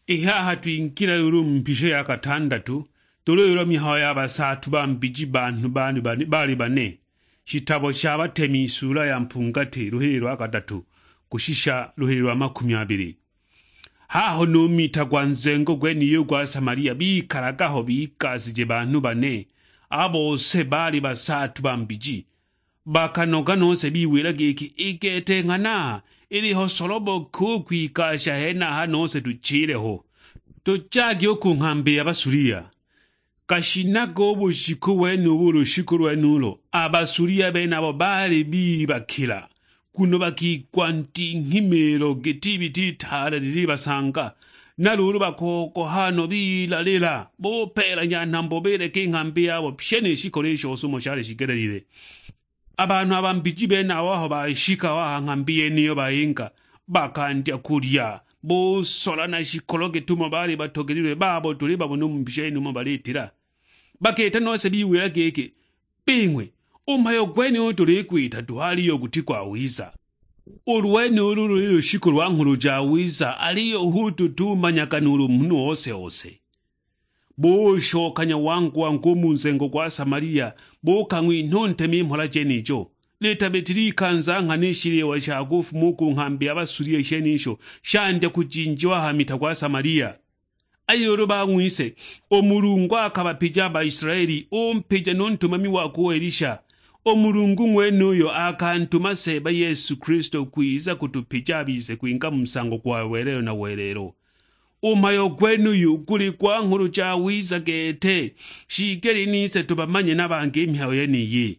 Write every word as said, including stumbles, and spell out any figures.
I haha twingila luulu mu mpisho ya katandatu, tūlolelwa mihayo ya basaatu ba mbiji banhu baali bane, shitabo sha Batemi isuula ya mpungati luhili lwa kadatu kushisha luhili lwa makumi abili. Haho nu mita gwa nzengo gwenuy'u gwa Samalia bikalaga ho bigasije banhu bane, a bose baali basaatu ba mbiji. Bakanoga nose biwila giki, "I gete nghana, iliho solobo ki u kwigasha henaha nose tuchile ho, tujagi u ku nghambi ya Basulia." Kashinaga u bushiku wenubu, u lushiku lwenulo, a Basulia benabo baali bibakila, nguno bakigwa ndinghimilo giti ibita itaale lilibasanga, na luulu bakogoha no bilalila, bupelanya nhambo bileka i nghambi yabo pye ni shikolo i shose umo shali shigelelile. A banhu a ba mbiji benabo aho bashika ho a ha nghambi yeniyo bayinga, bakandya kulya, busola na shikolo gitumo baali batogelilwe babo tulibabona u mu mbisha yene umo balitila. Bakiita nose biwila giki, "Bing'we, u mhayo gwenuyu tuligwita duhu aliyo guti gwawiza. Ulu lwenulu luli lushiku lwa Nghulu Jawiza, aliyo hu tutumanyaga nuulu munhu ose-ose." Bushokanya wangu-wangu u mu nzengo gwa Samalia, bukang'winha u ntemi i mhola jenijo. Litabitile ikanza nghana i shiliwa sha kufuma u ku nghambi ya Basulia i shenisho shandya kujinjiwa ha mita gwa Samalia. Aliyo ulu bang'wise, u Mulungu akabapija a Baisilaeli, umpija nu ntumami wakwe u Elisha. U Mulungu ng'wenuyo akantuma Seeba Yesu Kilisto kwiza kutupija a bise kwinga mu nsango gwa welelo na welelo. U mhayo gwenuyu guli gwa Nghulu Jawiza gete, shiigelile nise tubamanye na bangi i mihayo yeniyi.